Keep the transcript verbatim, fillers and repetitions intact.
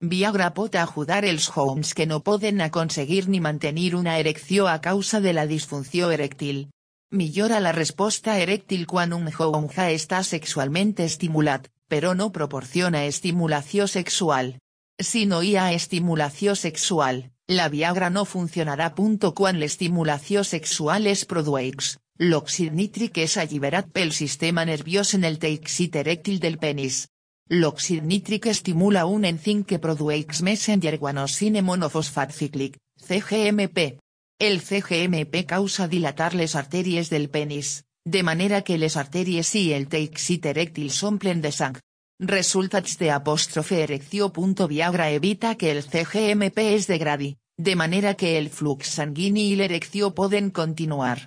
Viagra pot ajudar els homes que no poden aconseguir ni mantenir una erecció a causa de la disfunció erèctil. Millora la resposta erèctil quan un home ja està sexualment estimulat, però no proporciona estimulació sexual. Si no hi ha estimulació sexual, la Viagra no funcionarà. Quan l'estimulació sexual es produeix, l'òxid nítric és alliberat pel sistema nerviós en el teixit erèctil del penis. L'òxid nítric estimula un enzim que produeix messenger guanosine monofosfat cíclic, C G M P. El C G M P causa dilatar les artèries del penis, de manera que les artèries i el teixit erèctil s'omplen de sang. Resultats de apòstrofe erecció. Viagra evita que el C G M P es degradi, de manera que el flux sanguini i l'erecció poden continuar.